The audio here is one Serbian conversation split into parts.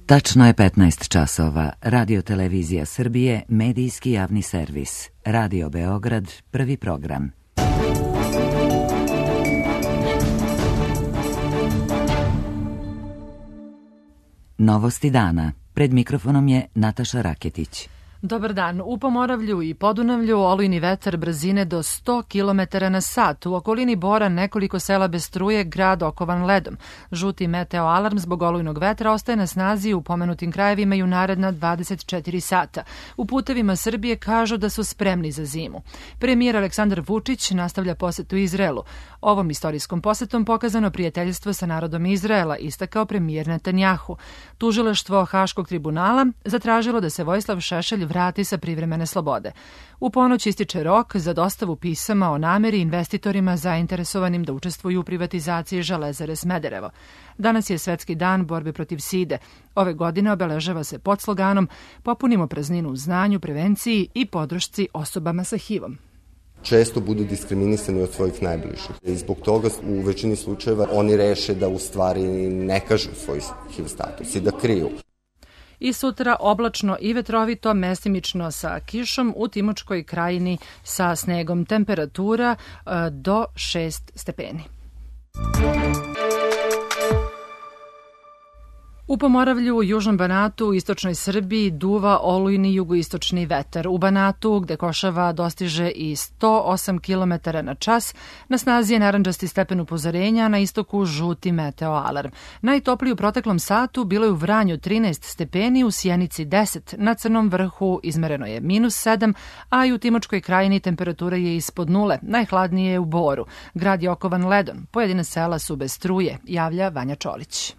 Tačno je 15 časova. Radio Televizija Srbije, medijski javni servis. Radio Beograd, prvi program. Novosti dana. Pred mikrofonom je Nataša Raketić. Dobar dan. U Pomoravlju i Podunavlju olujni vetar brzine do 100 km na sat. U okolini Bora nekoliko sela bez struje, grad okovan ledom. Žuti meteo alarm zbog olujnog vetra ostaje na snazi u pomenutim krajevima i u naredna 24 sata. U putevima Srbije kažu da su spremni za zimu. Premijer Aleksandar Vučić nastavlja posetu Izraelu. Ovom istorijskom posetom pokazano prijateljstvo sa narodom Izraela, istakao premijer Netanjahu. Tužilaštvo Haškog tribunala zatražilo da se Vojislav Šešelj vrati sa privremene slobode. U ponoć ističe rok za dostavu pisama o nameri investitorima zainteresovanim da učestvuju u privatizaciji Železare Smederevo. Danas je Svetski dan borbe protiv side. Ove godine obeležava se pod sloganom "Popunimo prazninu u znanju, prevenciji i podršci osobama sa HIV-om". Često budu diskriminisani od svojih najbližih. I zbog toga u većini slučajeva oni reše da u stvari ne kažu svoj HIV status i da kriju. I sutra oblačno i vetrovito, mestimično sa kišom, u Timočkoj krajini sa snegom, temperatura do 6 stepeni. U Pomoravlju, u Južnom Banatu, u istočnoj Srbiji duva olujni jugoistočni vetar. U Banatu, gde košava dostiže i 108 km na čas, na snazi je narandžasti stepen upozorenja, na istoku žuti meteo alarm. Najtopliji u proteklom satu bilo je u Vranju 13 stepeni, u Sjenici 10, na Crnom vrhu izmereno je -7, a i u Timočkoj krajini temperatura je ispod nule, najhladnije je u Boru. Grad je okovan ledom, pojedine sela su bez struje, javlja Vanja Čolić.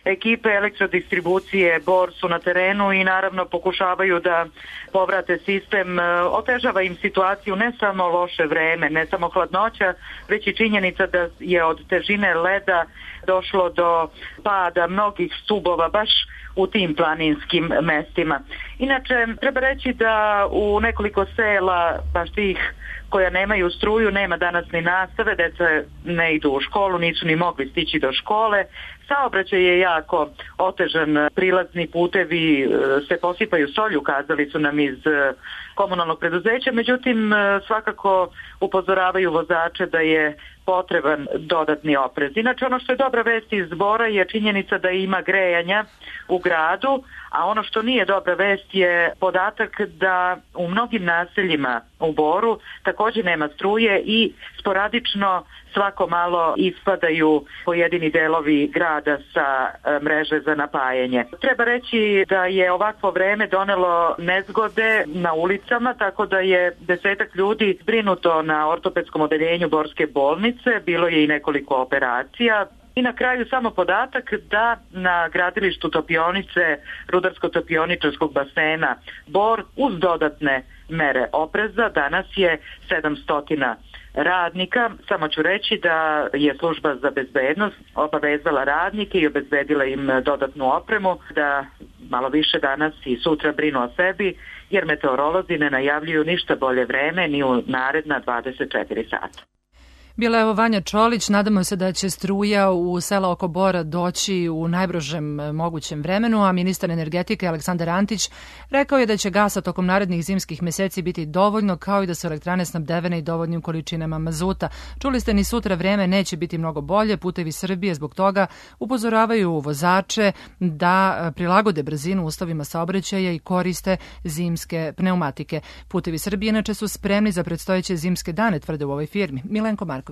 Ekipe elektrodistribucije Bor su na terenu i naravno pokušavaju da povrate sistem. Otežava im situaciju ne samo loše vreme, ne samo hladnoća, već i činjenica da je od težine leda došlo do pada mnogih stubova baš u tim planinskim mestima. Inače, treba reći da u nekoliko sela, baš tih koja nemaju struju, nema danas ni nastave, deca ne idu u školu, nisu ni mogli stići do škole. Saobraćaj je jako otežan, prilazni putevi se posipaju solju, kazali su nam iz komunalnog preduzeća, međutim svakako upozoravaju vozače da je potreban dodatni oprez. Inače, ono što je dobra vest iz Bora je činjenica da ima grejanja u gradu, a ono što nije dobra vest je podatak da u mnogim naseljima u Boru također nema struje i sporadično svako malo ispadaju pojedini delovi grada sa mreže za napajanje. Treba reći da je ovakvo vreme donelo nezgode na ulicama, tako da je 10 ljudi zbrinuto na ortopedskom odeljenju Borske bolnice, bilo je i nekoliko operacija. I na kraju samo podatak da na gradilištu topionice Rudarsko-topioničarskog basena Bor uz dodatne mere opreza danas je 700 radnika. Samo ću reći da je služba za bezbednost obavezala radnike i obezbedila im dodatnu opremu da malo više danas i sutra brinu o sebi, jer meteorolozi ne najavljuju ništa bolje vreme ni u naredna 24 sata. Bila je ovo Vanja Čolić. Nadamo se da će struja u sela oko Bora doći u najbržem mogućem vremenu, a ministar energetike Aleksandar Antić rekao je da će gasa tokom narednih zimskih meseci biti dovoljno, kao i da su elektrane snabdevene i dovoljnim količinama mazuta. Čuli ste, ni sutra vreme neće biti mnogo bolje. Putevi Srbije zbog toga upozoravaju vozače da prilagode brzinu uslovima saobraćaja i koriste zimske pneumatike. Putevi Srbije inače su spremni za predstojeće zimske dane, tvrde u ovoj firmi. Milenko Marković.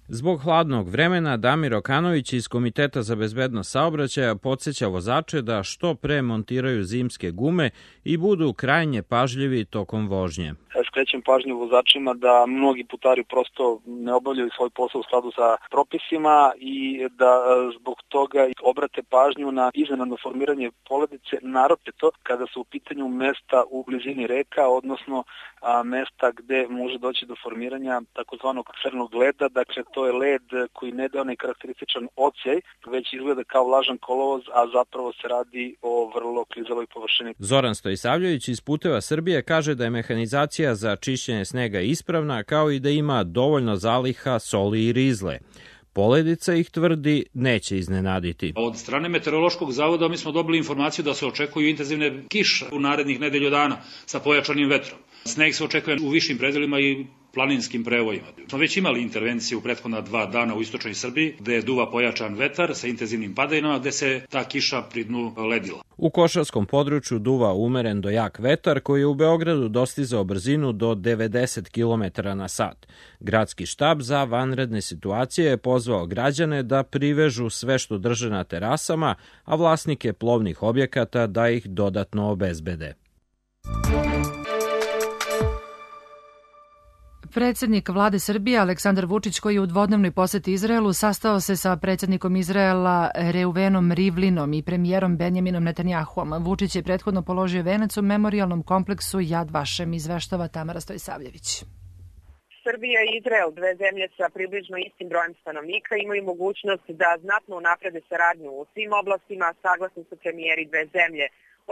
Zbog hladnog vremena, Damir Okanović iz Komiteta za bezbednost saobraćaja podsjeća vozače da što pre montiraju zimske gume i budu krajnje pažljivi tokom vožnje. Skrećem pažnju vozačima da mnogi putari prosto ne obavljaju svoj posao u skladu sa propisima i da zbog toga obrate pažnju na iznenadno formiranje poledice, naročito kada su u pitanju mesta u blizini reka, odnosno mesta gde može doći do formiranja takozvanog crnog leda. Dakle, to je led koji ne daje onaj karakterističan odsjaj, već izgleda kao vlažan kolovoz, a zapravo se radi o vrlo klizavoj površini. Zoran Stojisavljević iz Puteva Srbije kaže da je mehanizacija za čišćenje snega ispravna, kao i da ima dovoljno zaliha soli i rizle. Poledica ih, tvrdi, neće iznenaditi. Od strane Meteorološkog zavoda mi smo dobili informaciju da se očekuju intenzivne kiše u narednih nedelju dana sa pojačanim vetrom. Sneg se očekuje u višim predelima i planinskim prevojima. Smo već imali intervenciju u prethodna 2 dana u istočnoj Srbiji, gde duva pojačan vetar sa intenzivnim padajinama, gde se ta kiša pri dnu ledila. U Košarskom području duva umeren do jak vetar koji je u Beogradu dostizao brzinu do 90 km na sat. Gradski štab za vanredne situacije je pozvao građane da privežu sve što drže na terasama, a vlasnike plovnih objekata da ih dodatno obezbede. Predsjednik vlade Srbije Aleksandar Vučić, koji je u dvodnevnoj poseti Izraelu, sastao se sa predsjednikom Izraela Reuvenom Rivlinom i premijerom Benjaminom Netanjahuom. Vučić je prethodno položio venac u memorijalnom kompleksu Yad Vashem, izveštava Tamara Stojsavljević. Srbija i Izrael, 2 zemlje sa približno istim brojem stanovnika, imaju mogućnost da znatno unaprede saradnju u svim oblastima, saglasni su premijeri 2 zemlje.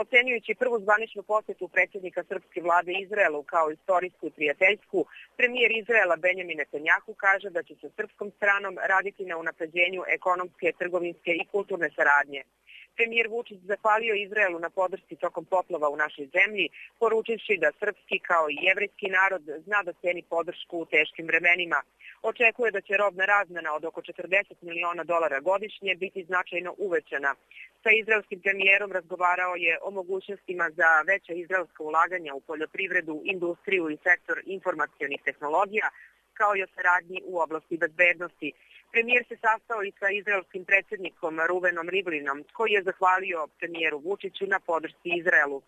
Ocenjujući prvu zvaničnu posjetu predsjednika srpske vlade Izraelu kao istorijsku i prijateljsku, premijer Izraela Benjamin Netanjahu kaže da će sa srpskom stranom raditi na unapređenju ekonomske, trgovinske i kulturne saradnje. Premijer Vučić zahvalio Izraelu na podršci tokom poplava u našoj zemlji, poručivši da srpski kao i jevrejski narod zna da ceni podršku u teškim vremenima. Očekuje da će robna razmena od oko $40 miliona godišnje biti značajno uvećana. Sa izraelskim premijerom razgovarao je o mogućnostima za veća izraelska ulaganja u poljoprivredu, industriju i sektor informacionih tehnologija, kao i o saradnji u oblasti bezbednosti. Premijer se sastao i sa izraelskim predsjednikom Reuvenom Rivlinom, koji je zahvalio premijeru Vučiću na podršci Izraelu.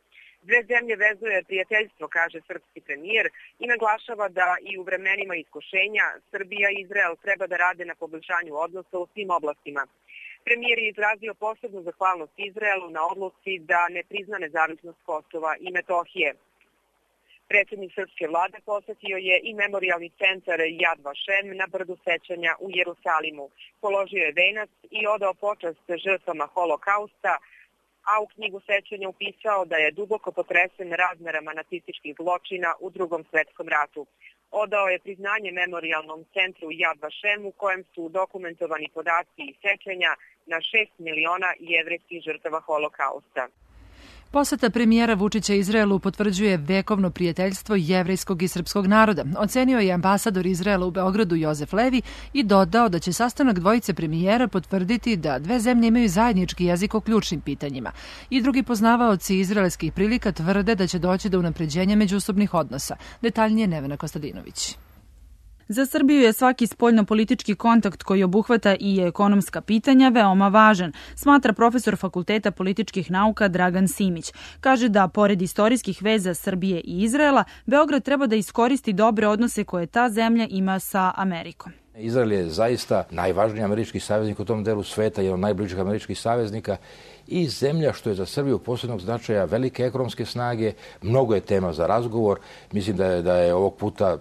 2 zemlje vezuje prijateljstvo, kaže srpski premijer, i naglašava da i u vremenima iskušenja Srbija i Izrael treba da rade na poboljšanju odnosa u svim oblastima. Premijer je izrazio posebnu zahvalnost Izraelu na odluci da ne prizna nezavisnost Kosova i Metohije. Predsjednik srpske vlade posjetio je i memorijalni centar Yad Vashem na brdu sećanja u Jerusalimu. Položio je venac i odao počast žrtvama holokausta, a u knjigu sećanja upisao da je duboko potresen razmerama nacističkih zločina u Drugom svetskom ratu. Odao je priznanje memorijalnom centru Yad Vashem u kojem su dokumentovani podaci i sećanja na 6 miliona jevrejskih žrtava holokausta. Poseta premijera Vučića Izraelu potvrđuje vekovno prijateljstvo jevrejskog i srpskog naroda. Ocenio je ambasador Izraela u Beogradu Jozef Levi i dodao da će sastanak dvojice premijera potvrditi da 2 zemlje imaju zajednički jezik o ključnim pitanjima. I drugi poznavaoci izraelskih prilika tvrde da će doći do unapređenja međusobnih odnosa. Detaljnije Nevena Kostadinović. Za Srbiju je svaki spoljno-politički kontakt koji obuhvata i ekonomska pitanja veoma važan, smatra profesor Fakulteta političkih nauka Dragan Simić. Kaže da, pored istorijskih veza Srbije i Izraela, Beograd treba da iskoristi dobre odnose koje ta zemlja ima sa Amerikom. Izrael je zaista najvažniji američki saveznik u tom delu sveta, jedan od najbližih američkih saveznika i zemlja što je za Srbiju posebnog značaja, velike ekonomske snage, mnogo je tema za razgovor. Mislim da je ovog puta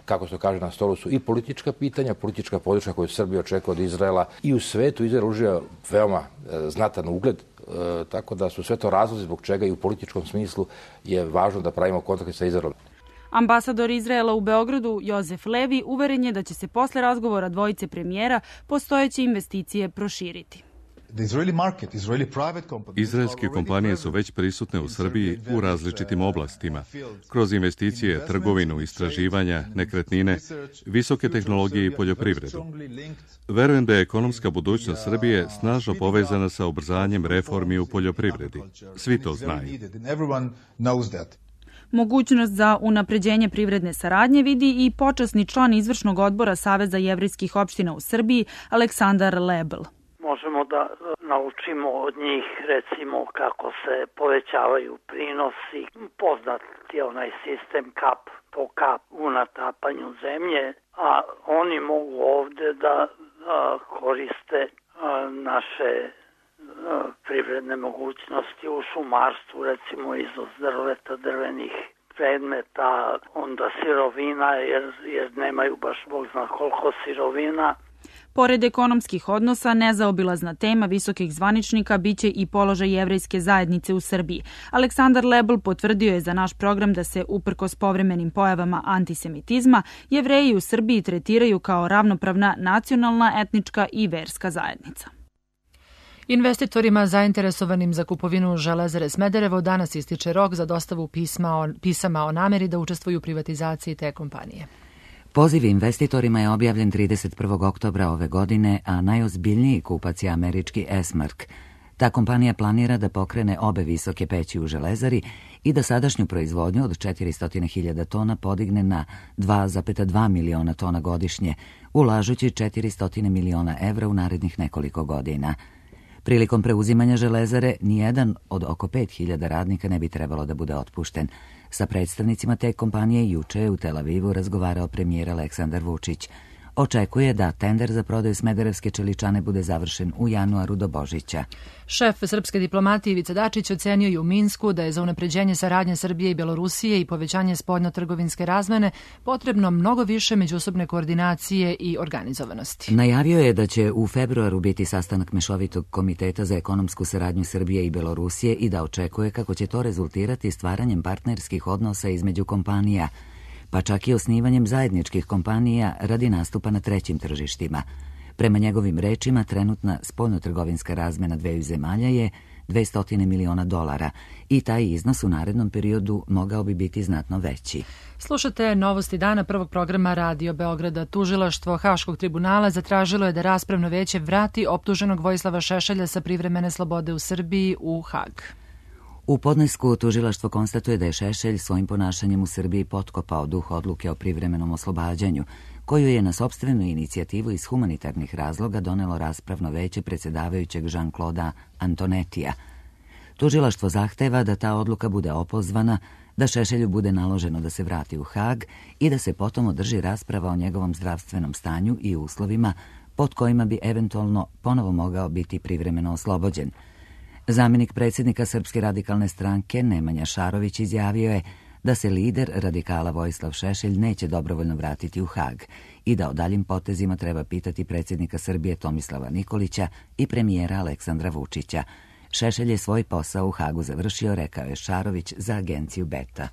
kako se kaže, na stolu su i politička pitanja, politička podrška koju Srbija očekuje od Izraela i u svetu. Izrael uživa veoma znatan ugled, tako da su sve to razlozi zbog čega i u političkom smislu je važno da pravimo kontakte sa Izraelom. Ambasador Izraela u Beogradu Jozef Levi uveren je da će se posle razgovora dvojice premijera postojeće investicije proširiti. Izraelske kompanije su već prisutne u Srbiji u različitim oblastima, kroz investicije, trgovinu, istraživanja, nekretnine, visoke tehnologije i poljoprivredu. Verujem da je ekonomska budućnost Srbije snažno povezana sa ubrzanjem reformi u poljoprivredi. Svi to znaju. Mogućnost za unapređenje privredne saradnje vidi i počasni član izvršnog odbora Saveza jevrejskih opština u Srbiji Aleksandar Lebel. Možemo da naučimo od njih, recimo, kako se povećavaju prinosi. Poznat je onaj sistem kap po kap u natapanju zemlje, a oni mogu ovde da koriste naše privredne mogućnosti u šumarstvu, recimo izvoz drveta, drvenih predmeta, onda sirovina, jer nemaju baš bog zna koliko sirovina. Pored ekonomskih odnosa, nezaobilazna tema visokih zvaničnika biće i položaj jevrejske zajednice u Srbiji. Aleksandar Lebel potvrdio je za naš program da se, uprkos povremenim pojavama antisemitizma, Jevreji u Srbiji tretiraju kao ravnopravna nacionalna, etnička i verska zajednica. Investitorima zainteresovanim za kupovinu Železare Smederevo danas ističe rok za dostavu pisama o nameri da učestvuju u privatizaciji te kompanije. Poziv investitorima je objavljen 31. oktobra ove godine, a najozbiljniji kupac je američki Esmark. Ta kompanija planira da pokrene obe visoke peći u Železari i da sadašnju proizvodnju od 400.000 tona podigne na 2,2 miliona tona godišnje, ulažući 400 miliona evra u narednih nekoliko godina. Prilikom preuzimanja Železare, nijedan od oko 5.000 radnika ne bi trebalo da bude otpušten. Sa predstavnicima te kompanije juče je u Tel Avivu razgovarao premijer Aleksandar Vučić. Očekuje da tender za prodaju smederevske čeličane bude završen u januaru do Božića. Šef srpske diplomatije Ivica Dačić ocenio je u Minsku da je za unapređenje saradnje Srbije i Belorusije i povećanje spoljno-trgovinske razmene potrebno mnogo više međusobne koordinacije i organizovanosti. Najavio je da će u februaru biti sastanak Mešovitog komiteta za ekonomsku saradnju Srbije i Belorusije i da očekuje kako će to rezultirati stvaranjem partnerskih odnosa između kompanija, pa čak i osnivanjem zajedničkih kompanija radi nastupa na trećim tržištima. Prema njegovim rečima, trenutna spoljnotrgovinska razmena dveju zemalja je $200 miliona i taj iznos u narednom periodu mogao bi biti znatno veći. Slušate novosti dana prvog programa Radio Beograda. Tužilaštvo Haškog tribunala zatražilo je da raspravno veće vrati optuženog Vojislava Šešelja sa privremene slobode u Srbiji u Hag. U podnesku tužilaštvo konstatuje da je Šešelj svojim ponašanjem u Srbiji potkopao duh odluke o privremenom oslobađanju, koju je na sopstvenu inicijativu iz humanitarnih razloga donelo raspravno veće predsjedavajućeg Jean-Claude Antonetija. Tužilaštvo zahteva da ta odluka bude opozvana, da Šešelju bude naloženo da se vrati u Hag i da se potom održi rasprava o njegovom zdravstvenom stanju i uslovima pod kojima bi eventualno ponovo mogao biti privremeno oslobođen. Zamjenik predsjednika Srpske radikalne stranke Nemanja Šarović izjavio je da se lider radikala Vojislav Šešelj neće dobrovoljno vratiti u Hag i da o daljim potezima treba pitati predsjednika Srbije Tomislava Nikolića i premijera Aleksandra Vučića. Šešelj je svoj posao u Hagu završio, rekao je Šarović za agenciju Beta.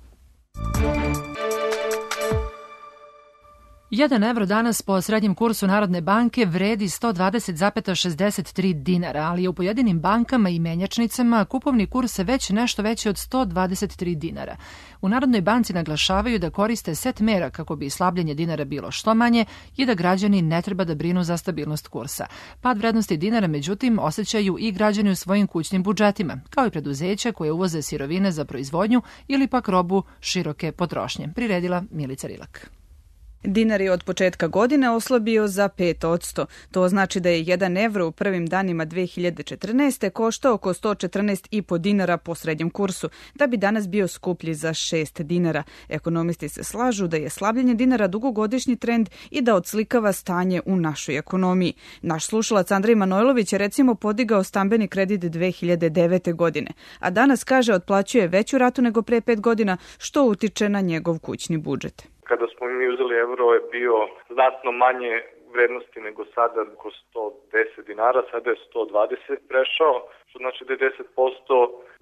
1 evro danas po srednjem kursu Narodne banke vredi 120,63 dinara, ali je u pojedinim bankama i menjačnicama kupovni kurs već nešto veći od 123 dinara. U Narodnoj banci naglašavaju da koriste set mera kako bi slabljenje dinara bilo što manje i da građani ne treba da brinu za stabilnost kursa. Pad vrednosti dinara, međutim, osjećaju i građani u svojim kućnim budžetima, kao i preduzeća koje uvoze sirovine za proizvodnju ili pak robu široke potrošnje. Priredila Milica Rilak. Dinar je od početka godine oslabio za 5%. To znači da je 1 evro u prvim danima 2014. koštao oko 114,5 dinara po srednjem kursu, da bi danas bio skuplji za 6 dinara. Ekonomisti se slažu da je slabljenje dinara dugogodišnji trend i da odslikava stanje u našoj ekonomiji. Naš slušalac Andrej Manojlović je recimo podigao stambeni kredit 2009. godine, a danas kaže otplaćuje veću ratu nego pre 5 godina, što utiče na njegov kućni budžet. Kada smo mi uzeli evro je bio znatno manje vrednosti nego sada, oko 110 dinara, sada je 120 prešao, što znači da je 10%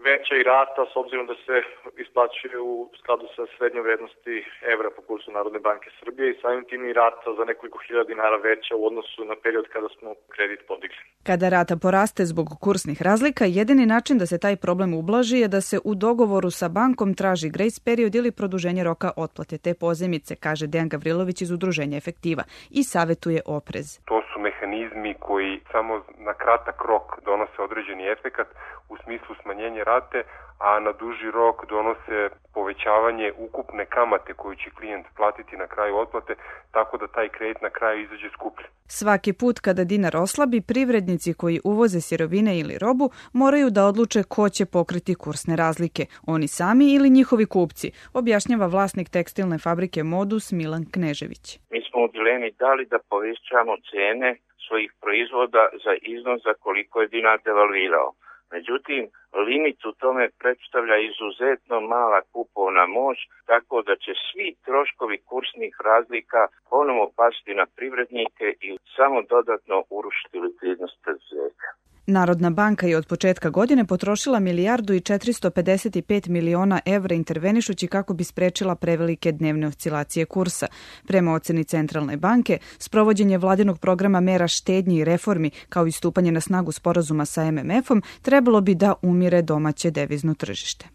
veća i rata s obzirom da se isplaćuje u skladu sa srednjom vrednosti evra po kursu Narodne banke Srbije i samim tim i rata za nekoliko hiljada dinara veća u odnosu na period kada smo kredit podigli. Kada rata poraste zbog kursnih razlika, jedini način da se taj problem ublaži je da se u dogovoru sa bankom traži grace period ili produženje roka otplate te pozajmice, kaže Dejan Gavrilović iz Udruženja Efektiva i savetuje oprez. To su mehanizmi koji samo na kratak rok donose određeni efekat u smislu smanjenja rate, a na duži rok donose povećavanje ukupne kamate koju će klijent platiti na kraju otplate, tako da taj kredit na kraju izađe skuplji. Svaki put kada dinar oslabi, privrednici koji uvoze sirovine ili robu moraju da odluče ko će pokriti kursne razlike, oni sami ili njihovi kupci, objašnjava vlasnik tekstilne fabrike Modus Milan Knežević. Mi smo u dilemi da li da povećamo cene svojih proizvoda za iznos za koliko je dinar devalvirao. Međutim, limit u tome predstavlja izuzetno mala kupovna moć, tako da će svi troškovi kursnih razlika ponovo pasti na privrednike i samo dodatno urušiti likvidnost preduzeća. Narodna banka je od početka godine potrošila 1.455 miliona evra intervenišući kako bi sprečila prevelike dnevne oscilacije kursa. Prema oceni Centralne banke, sprovođenje vladinog programa mera štednji i reformi, kao i stupanje na snagu sporazuma sa MMF-om, trebalo bi da umire domaće devizno tržište.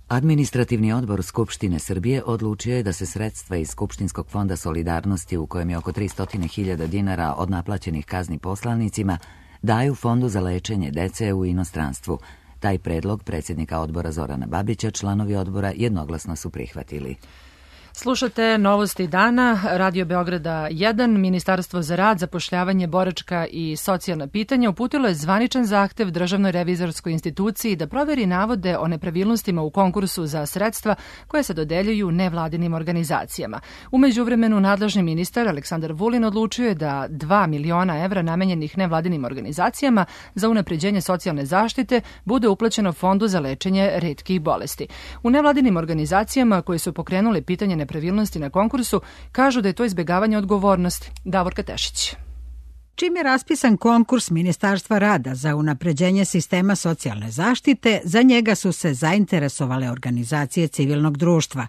Administrativni odbor Skupštine Srbije odlučio je da se sredstva iz Skupštinskog fonda solidarnosti, u kojem je oko 300.000 dinara od naplaćenih kazni poslanicima, daju Fondu za lečenje dece u inostranstvu. Taj predlog predsjednika odbora Zorana Babića članovi odbora jednoglasno su prihvatili. Slušate Novosti dana, Radio Beograda 1, Ministarstvo za rad, zapošljavanje, boračka i socijalna pitanja uputilo je zvaničan zahtev Državnoj revizorskoj instituciji da proveri navode o nepravilnostima u konkursu za sredstva koje se dodeljuju nevladinim organizacijama. U međuvremenu nadležni ministar Aleksandar Vulin odlučio je da 2 miliona evra namenjenih nevladinim organizacijama za unapređenje socijalne zaštite bude uplaćeno Fondu za lečenje retkih bolesti. U nevladinim organizacijama koje su pokrenule pitanje nepravilnosti na konkursu kažu da je to izbjegavanje odgovornosti. Davorka Tešić. Čim je raspisan konkurs Ministarstva rada za unapređenje sistema socijalne zaštite, za njega su se zainteresovale organizacije civilnog društva.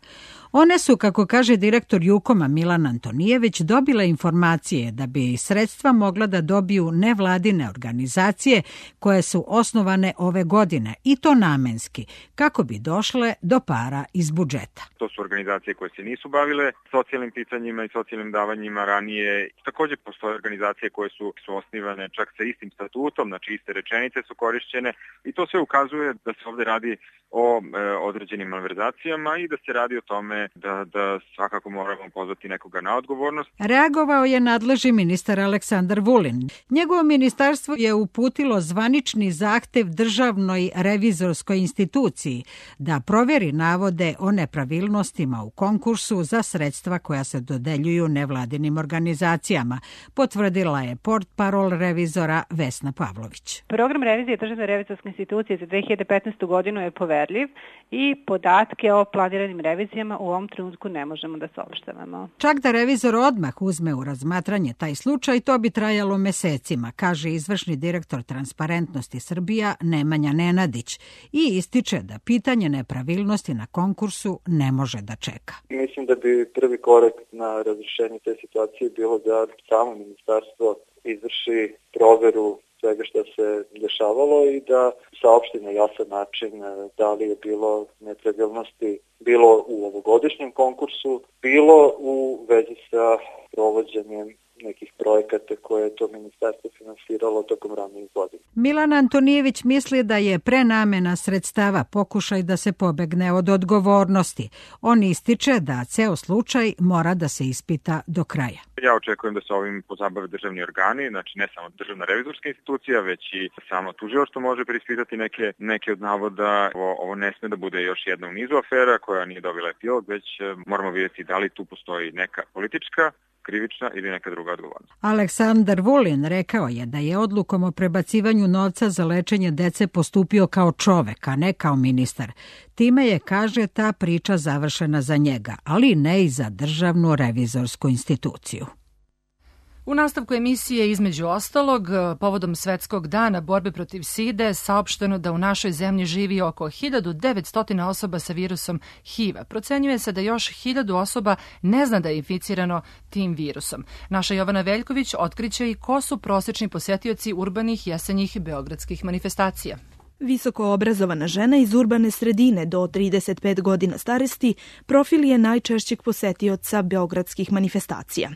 One su, kako kaže direktor Jukoma Milan Antonijević, dobile informacije da bi sredstva mogla da dobiju nevladine organizacije koje su osnovane ove godine, i to namenski, kako bi došle do para iz budžeta. To su organizacije koje se nisu bavile socijalnim pitanjima i socijalnim davanjima ranije. Također postoje organizacije koje su osnivane čak sa istim statutom, znači iste rečenice su korišćene, i to sve ukazuje da se ovdje radi o određenim malverzacijama i da se radi o tome da svakako moramo pozvati nekoga na odgovornost. Reagovao je nadležni ministar Aleksandar Vulin. Njegovo ministarstvo je uputilo zvanični zahtev Državnoj revizorskoj instituciji da proveri navode o nepravilnostima u konkursu za sredstva koja se dodeljuju nevladinim organizacijama, potvrdila je portparol revizora Vesna Pavlović. Program revizije Državne revizorske institucije za 2015. godinu je poverljiv i podatke o planiranim revizijama u ovom trenutku ne možemo da saopštavamo. Čak da revizor odmah uzme u razmatranje taj slučaj, to bi trajalo mesecima, kaže izvršni direktor Transparentnosti Srbija Nemanja Nenadić, i ističe da pitanje nepravilnosti na konkursu ne može da čeka. Mislim da bi prvi korak na razrešenje te situacije bilo da samo ministarstvo izvrši proveru svega što se dešavalo i da saopšti na jasan način da li je bilo nepravilnosti bilo u ovogodišnjem konkursu, bilo u vezi sa provođenjem nekih projekata koje je to ministarstvo finansiralo tokom ranijih godina. Milan Antonijević misli da je prenamena sredstava pokušaj da se pobegne od odgovornosti. On ističe da ceo slučaj mora da se ispita do kraja. Ja očekujem da se ovim pozabave državni organi, znači ne samo Državna revizorska institucija, već i samo tužilaštvo može preispitati neke od navoda. Ovo ne sme da bude još jedna u nizu afera koja nije dobila epilog, već moramo vidjeti da li tu postoji neka politička, krivična ili neka druga odgovornost. Aleksandar Vulin rekao je da je odlukom o prebacivanju novca za lečenje dece postupio kao čovek, a ne kao ministar. Time je, kaže, ta priča završena za njega, ali ne i za Državnu revizorsku instituciju. U nastavku emisije, između ostalog, povodom Svetskog dana borbe protiv side, saopšteno da u našoj zemlji živi oko 1900 osoba sa virusom HIV-a. Procenjuje se da još 1000 osoba ne zna da je inficirano tim virusom. Naša Jovana Veljković otkriće i ko su prosječni posetioci urbanih jesenjih beogradskih manifestacija. Visoko obrazovana žena iz urbane sredine do 35 godina starosti profil je najčešćeg posetioca beogradskih manifestacija.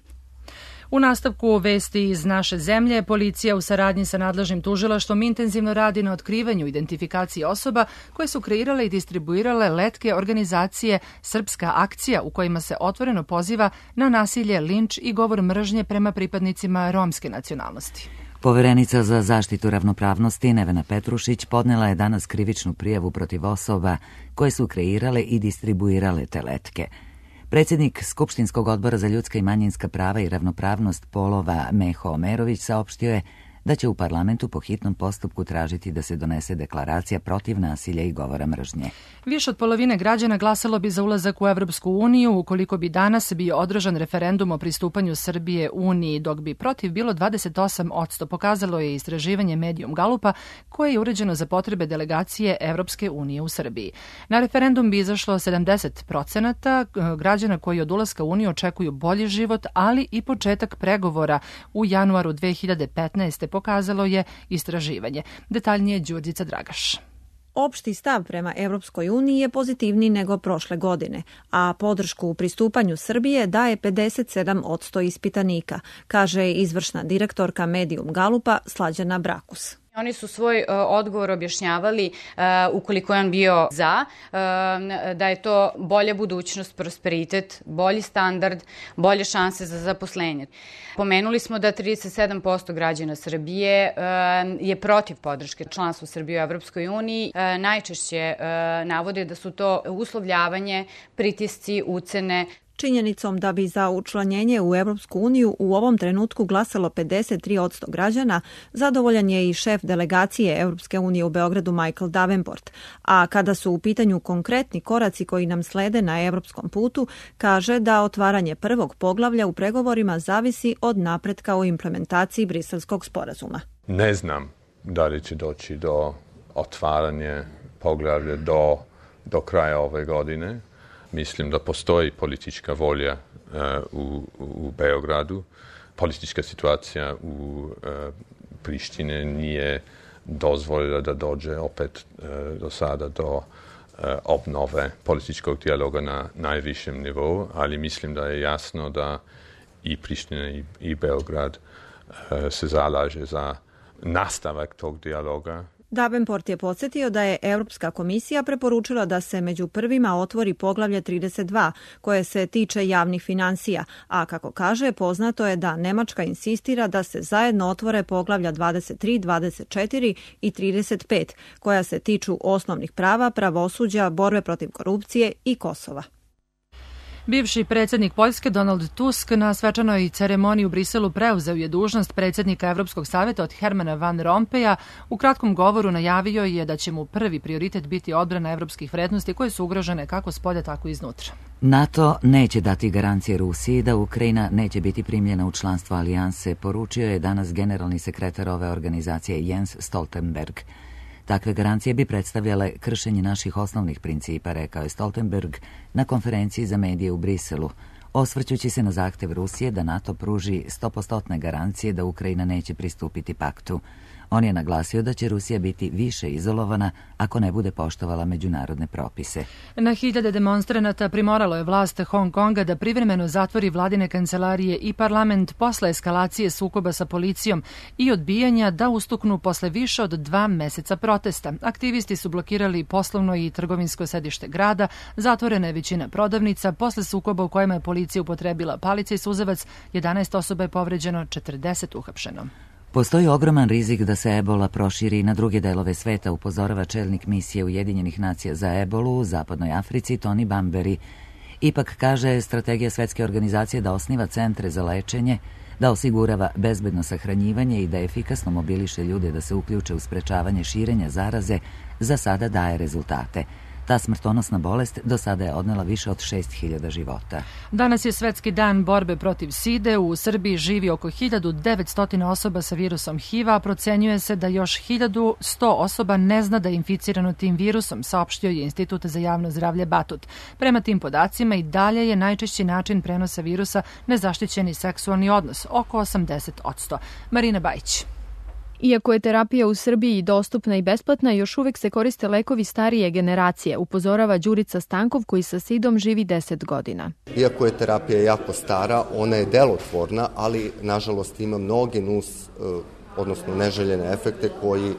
U nastavku vesti iz naše zemlje, policija u saradnji sa nadležnim tužilaštvom intenzivno radi na otkrivanju identifikacije osoba koje su kreirale i distribuirale letke organizacije Srpska akcija, u kojima se otvoreno poziva na nasilje, linč i govor mržnje prema pripadnicima romske nacionalnosti. Poverenica za zaštitu ravnopravnosti Nevena Petrušić podnela je danas krivičnu prijavu protiv osoba koje su kreirale i distribuirale te letke. Predsjednik Skupštinskog odbora za ljudska i manjinska prava i ravnopravnost polova Meho Omerović saopštio je da će u parlamentu po hitnom postupku tražiti da se donese deklaracija protiv nasilja i govora mržnje. Više od polovine građana glasalo bi za ulazak u Evropsku uniju ukoliko bi danas bio održan referendum o pristupanju Srbije Uniji, dok bi protiv bilo 28%, pokazalo je istraživanje Medium Galupa koje je uređeno za potrebe delegacije Evropske unije u Srbiji. Na referendum bi izašlo 70% građana koji od ulaska u Uniju očekuju bolji život, ali i početak pregovora u januaru 2015. pokazalo je istraživanje. Detaljnije Đurđica Dragaš. Opšti stav prema Evropskoj uniji je pozitivniji nego prošle godine, a podršku u pristupanju Srbije daje 57% ispitanika, kaže izvršna direktorka Medium Galupa Slađana Brakus. Oni su svoj odgovor objašnjavali, ukoliko je on bio za, da je to bolja budućnost, prosperitet, bolji standard, bolje šanse za zaposlenje. Pomenuli smo da 37% građana Srbije je protiv podrške članstva Srbije u Evropskoj uniji. Najčešće navode da su to uslovljavanje, pritisci, ucene. Činjenicom da bi za učlanjenje u Evropsku uniju u ovom trenutku glasalo 53% građana, zadovoljan je i šef delegacije Evropske unije u Beogradu Michael Davenport. A kada su u pitanju konkretni koraci koji nam slede na evropskom putu, kaže da otvaranje prvog poglavlja u pregovorima zavisi od napretka u implementaciji Briselskog sporazuma. Ne znam da li će doći do otvaranja poglavlja do kraja ove godine. Mislim da postoji politička volja u Beogradu. Politička situacija u Prištine nije dozvolila da dođe opet do sada do obnove političkog dijaloga na najvišem nivou, ali mislim da je jasno da i Priština i Beograd se zalaže za nastavak tog dijaloga. Davenport je podsjetio da je Europska komisija preporučila da se među prvima otvori poglavlje 32, koje se tiče javnih finansija, a kako kaže, poznato je da Nemačka insistira da se zajedno otvore poglavlja 23, 24 i 35, koja se tiču osnovnih prava, pravosuđa, borbe protiv korupcije i Kosova. Bivši predsjednik Poljske Donald Tusk na svečanoj ceremoniji u Briselu preuzeo je dužnost predsjednika Evropskog savjeta od Hermana Van Rompuya. U kratkom govoru najavio je da će mu prvi prioritet biti odbrana evropskih vrednosti koje su ugrožene kako spolja, tako i iznutra. NATO neće dati garancije Rusiji da Ukrajina neće biti primljena u članstvo alijanse, poručio je danas generalni sekretar ove organizacije Jens Stoltenberg. Takve garancije bi predstavljale kršenje naših osnovnih principa, rekao je Stoltenberg na konferenciji za medije u Briselu, osvrćući se na zahtev Rusije da NATO pruži 100% garancije da Ukrajina neće pristupiti paktu. On je naglasio da će Rusija biti više izolovana ako ne bude poštovala međunarodne propise. Na hiljade demonstranata primoralo je vlast Hong Konga da privremeno zatvori vladine kancelarije i parlament posle eskalacije sukoba sa policijom i odbijanja da ustuknu posle više od 2 meseca protesta. Aktivisti su blokirali poslovno i trgovinsko sedište grada, zatvorena je većina prodavnica, posle sukoba u kojima je policija upotrebila palice i suzavac, 11 osoba je povređeno, 40 uhapšeno. Postoji ogroman rizik da se ebola proširi na druge delove sveta, upozorava čelnik misije Ujedinjenih nacija za ebolu u Zapadnoj Africi Tony Bamberi. Ipak, kaže, strategija Svetske organizacije da osniva centre za lečenje, da osigurava bezbedno sahranjivanje i da efikasno mobiliše ljude da se uključe u sprečavanje širenja zaraze, za sada daje rezultate. Ta smrtonosna bolest do sada je odnela više od 6.000 života. Danas je Svetski dan borbe protiv side. U Srbiji živi oko 1900 osoba sa virusom HIV-a, a procenjuje se da još 1100 osoba ne zna da je inficirano tim virusom, saopštio je Institut za javno zdravlje Batut. Prema tim podacima i dalje je najčešći način prenosa virusa nezaštićeni seksualni odnos, oko 80%. Marina Bajić. Iako je terapija u Srbiji dostupna i besplatna, još uvek se koriste lekovi starije generacije, upozorava Đurica Stankov koji sa sidom živi 10 godina. Iako je terapija jako stara, ona je delotvorna, ali nažalost ima mnoge odnosno neželjene efekte koji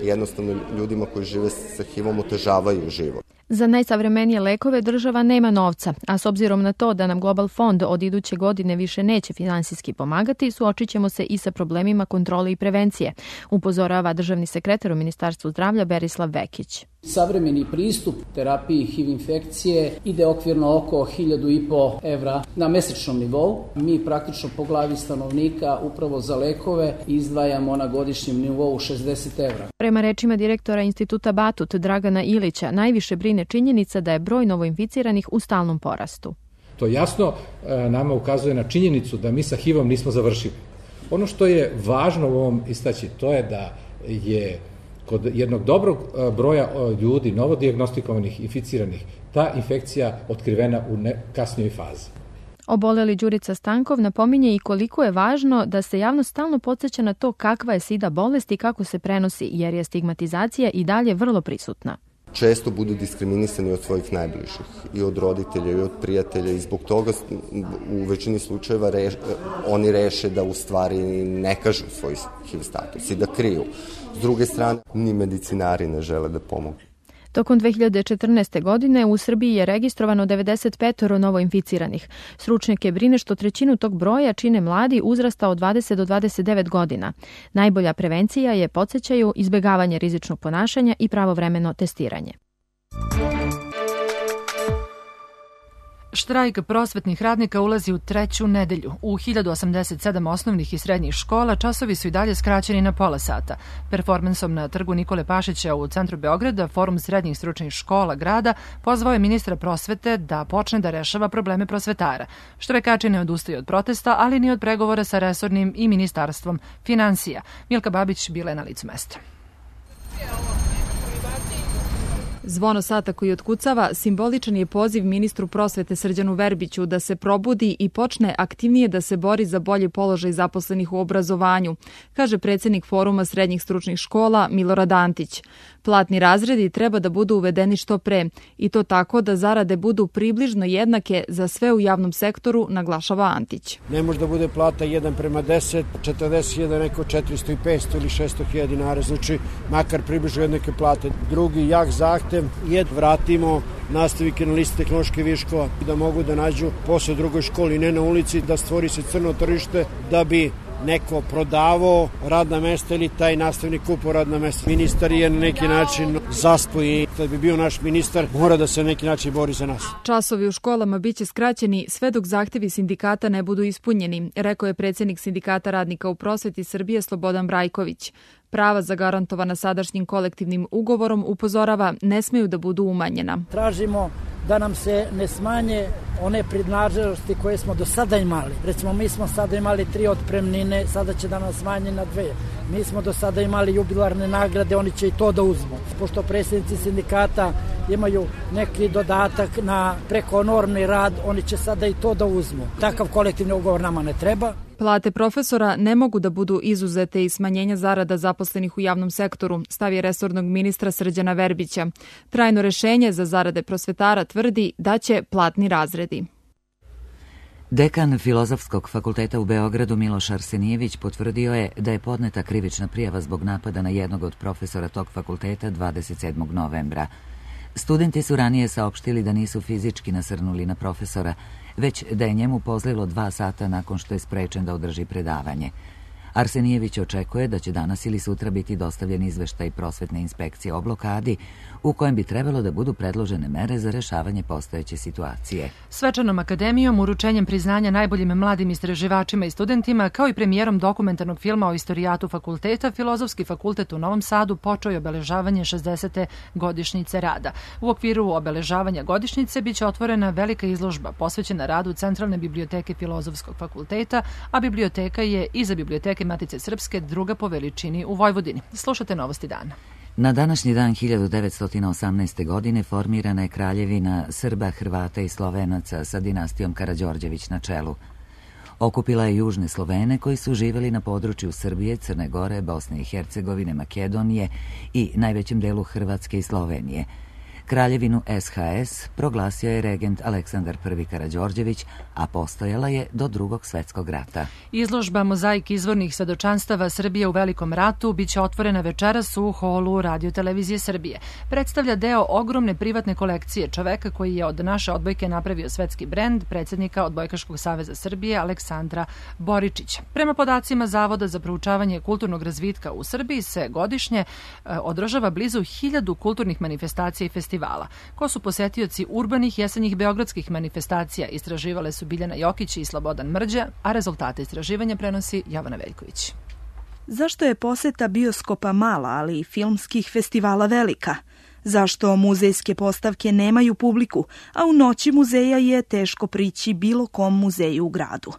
jednostavno ljudima koji žive sa HIV-om otežavaju život. Za najsavremenije lekove država nema novca, a s obzirom na to da nam Global Fond od iduće godine više neće finansijski pomagati, suočit ćemo se i sa problemima kontrole i prevencije, upozorava državni sekretar u Ministarstvu zdravlja Berislav Vekić. Savremeni pristup terapiji HIV infekcije ide okvirno oko 1.500 evra na mesečnom nivou. Mi praktično po glavi stanovnika upravo za lekove izdvajamo na godišnjem nivou 60 evra. Prema rečima direktora Instituta Batut Dragana Ilića, najviše brine činjenica da je broj novoinficiranih u stalnom porastu. To jasno nama ukazuje na činjenicu da mi sa HIV-om nismo završili. Ono što je važno u ovom istaći, to je da je kod jednog dobrog broja ljudi, novodijagnostikovanih, inficiranih, ta infekcija otkrivena u kasnijoj fazi. Oboleli Đurica Stankov napominje i koliko je važno da se javnost stalno podsjeća na to kakva je SIDA bolest i kako se prenosi, jer je stigmatizacija i dalje vrlo prisutna. Često budu diskriminisani od svojih najbližih, i od roditelja, i od prijatelja, i zbog toga u većini slučajeva oni reše da u stvari ne kažu svoj HIV status i da kriju. S druge strane, ni medicinari ne žele da pomogu. Tokom 2014. godine u Srbiji je registrovano 95 novoinficiranih. Stručnjake brine što trećinu tog broja čine mladi uzrasta od 20 do 29 godina. Najbolja prevencija je, podsjećaju, izbjegavanje rizičnog ponašanja i pravovremeno testiranje. Štrajk prosvetnih radnika ulazi u 3. nedelju. U 1087 osnovnih i srednjih škola časovi su i dalje skraćeni na pola sata. Performansom na trgu Nikole Pašića u centru Beograda, Forum srednjih stručnih škola grada pozvao je ministra prosvete da počne da rešava probleme prosvetara. Štrajkači ne odustaju od protesta, ali ni od pregovora sa resornim i ministarstvom finansija. Milka Babić bila je na licu mesta. Zvono sata koji otkucava simboličan je poziv ministru prosvete Srđanu Verbiću da se probudi i počne aktivnije da se bori za bolji položaj zaposlenih u obrazovanju, kaže predsjednik Foruma srednjih stručnih škola Milorad Antić. Platni razredi treba da budu uvedeni što pre i to tako da zarade budu približno jednake za sve u javnom sektoru, naglašava Antić. Ne može da bude plata 1:10, 40.000, neko 400 i 500 ili 600.000 dinara, znači makar približno jednake plate. Drugi jak zahtev je vratimo nastavnike na listi tehnološke viškova da mogu da nađu posao u drugoj školi, ne na ulici, da stvori se crno tržište da bi neko prodavao radna mesta ili taj nastavnik kupao radna mesta. Ministar je na neki način zaspoji. Kad bi bio naš ministar, mora da se na neki način bori za nas. Časovi u školama biće skraćeni sve dok zahtevi sindikata ne budu ispunjeni, rekao je predsjednik Sindikata radnika u prosveti Srbije Slobodan Brajković. Prava zagarantovana sadašnjim kolektivnim ugovorom, upozorava, ne smeju da budu umanjena. Tražimo da nam se ne smanje one prednaženosti koje smo do sada imali. Recimo, mi smo sada imali 3 otpremnine, sada će da nam smanje na 2. Mi smo do sada imali jubilarne nagrade, oni će i to da uzmu. Pošto predsjednici sindikata imaju neki dodatak na prekonormni rad, oni će sada i to da uzmu. Takav kolektivni ugovor nama ne treba. Plate profesora ne mogu da budu izuzete iz smanjenja zarada zaposlenih u javnom sektoru, stav je resornog ministra Srđana Verbića. Trajno rešenje za zarade prosvetara tvrdi da će platni razredi. Dekan Filozofskog fakulteta u Beogradu Miloš Arsenijević potvrdio je da je podneta krivična prijava zbog napada na jednog od profesora tog fakulteta 27. novembra. Studenti su ranije saopštili da nisu fizički nasrnuli na profesora, već da je njemu pozlilo 2 sata nakon što je sprečen da održi predavanje. Arsenijević očekuje da će danas ili sutra biti dostavljen izveštaj prosvetne inspekcije o blokadi, u kojem bi trebalo da budu predložene mere za rešavanje postojeće situacije. Svečanom akademijom, uručenjem priznanja najboljim mladim istraživačima i studentima, kao i premijerom dokumentarnog filma o istorijatu fakulteta, Filozofski fakultet u Novom Sadu počeo je obeležavanje 60. godišnjice rada. U okviru obeležavanja godišnjice biće otvorena velika izložba posvećena radu Centralne biblioteke Filozofskog fakulteta, a biblioteka je iza biblioteke Matice Srpske druga po veličini u Vojvodini. Slušate Novosti dana. Na današnji dan 1918. godine formirana je kraljevina Srba, Hrvata i Slovenaca sa dinastijom Karađorđević na čelu. Okupila je južne Slovene koji su živjeli na području Srbije, Crne Gore, Bosne i Hercegovine, Makedonije i najvećem delu Hrvatske i Slovenije. Kraljevinu SHS proglasio je regent Aleksandar I Karađorđević, a postojala je do Drugog svjetskog rata. Izložba Mozaik izvornih svedočanstava Srbije u Velikom ratu biće otvorena večeras u holu Radio-televizije Srbije. Predstavlja deo ogromne privatne kolekcije čoveka koji je od naše odbojke napravio svetski brend, predsjednika Odbojkaškog saveza Srbije Aleksandra Boričića. Prema podacima Zavoda za proučavanje kulturnog razvitka u Srbiji se godišnje održava blizu 1000 kulturnih manifestacija i festivala. Ko su posetioci urbanih jesenjih beogradskih manifestacija, istraživale su Biljana Jokić i Slobodan Mrđa, a rezultate istraživanja prenosi Jovana Veljković. Zašto je poseta bioskopa mala, ali i filmskih festivala velika? Zašto muzejske postavke nemaju publiku, a u noći muzeja je teško prići bilo kom muzeju u gradu?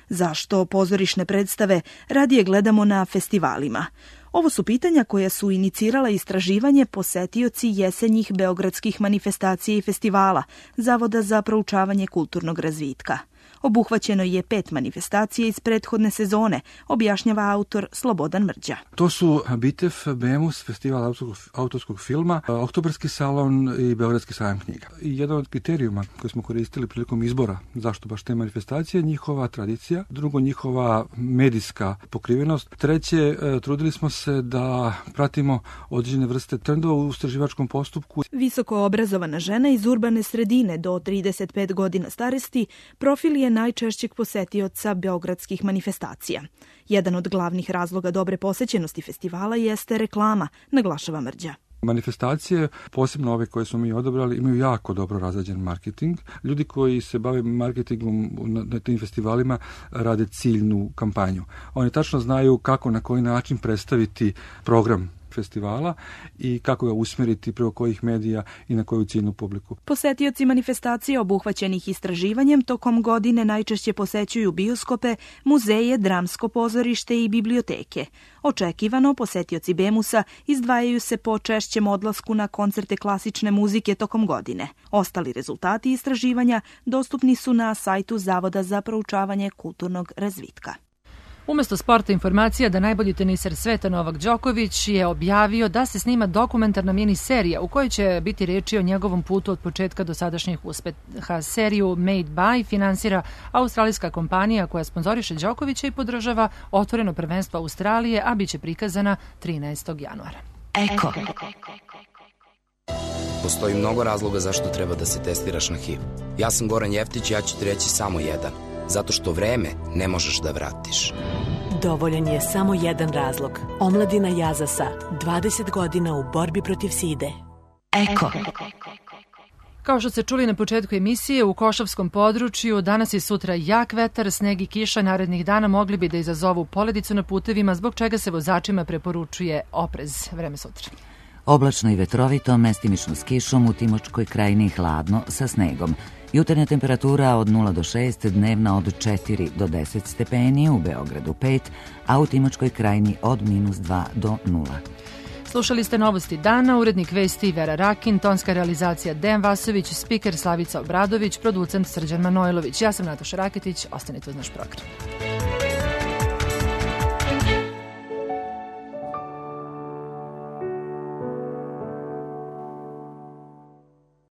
Zašto pozorišne predstave radije gledamo na festivalima? Ovo su pitanja koja su inicirala istraživanje posetioci jesenjih beogradskih manifestacija i festivala Zavoda za proučavanje kulturnog razvitka. Obuhvaćeno je 5 manifestacija iz prethodne sezone, objašnjava autor Slobodan Mrđa. To su BITEF, BEMUS, Festival autorskog filma, Oktobarski salon i Beogradski sajam knjiga. I jedan od kriterijuma koje smo koristili prilikom izbora zašto baš te manifestacije, njihova tradicija, drugo njihova medijska pokrivenost, treće trudili smo se da pratimo određene vrste trendova u istraživačkom postupku. Visoko obrazovana žena iz urbane sredine do 35 godina starosti profil je najčešćeg posetioca beogradskih manifestacija. Jedan od glavnih razloga dobre posećenosti festivala jeste reklama, naglašava Mrđa. Manifestacije, posebno ove koje smo mi odabrali, imaju jako dobro razrađen marketing. Ljudi koji se bave marketingom na tim festivalima rade ciljnu kampanju. Oni tačno znaju kako, na koji način predstaviti program festivala i kako ga usmjeriti preko kojih medija i na koju ciljnu publiku. Posetioci manifestacija obuhvaćenih istraživanjem tokom godine najčešće posećuju bioskope, muzeje, dramsko pozorište i biblioteke. Očekivano, posetioci BEMUS-a izdvajaju se po češćem odlasku na koncerte klasične muzike tokom godine. Ostali rezultati istraživanja dostupni su na sajtu Zavoda za proučavanje kulturnog razvitka. Umesto sporta informacija da najbolji teniser sveta Novak Đoković je objavio da se snima dokumentarna mini serija u kojoj će biti reči o njegovom putu od početka do sadašnjih uspeha. Seriju Made by finansira australijska kompanija koja sponzoriše Đokovića i podržava otvoreno prvenstvo Australije, a bit će prikazana 13. januara. Eko. Postoji mnogo razloga zašto treba da se testiraš na HIV. Ja sam Goran Jeftić i ja ću ti reći samo jedan. Zato što vreme ne možeš da vratiš. Dovoljan je samo jedan razlog. Omladina Jazasa, 20 godina u borbi protiv side. Eko. Kao što ste čuli na početku emisije, u Košavskom području danas i sutra jak vetar, sneg i kiša narednih dana mogli bi da izazovu poledicu na putevima, zbog čega se vozačima preporučuje oprez. Vreme sutra. Oblačno i vetrovito, mestimično s kišom, u Timočkoj krajini hladno sa snegom. Jutarnja temperatura od 0 do 6, dnevna od 4 do 10 stepeni, u Beogradu 5, a u Timočkoj krajini od -2 do 0. Slušali ste novosti dana, urednik vesti Vera Rakin, tonska realizacija Dejan Vasović, spiker Slavica Obradović, producent Srđan Manojlović. Ja sam Nataša Raketić, ostanite uz naš program.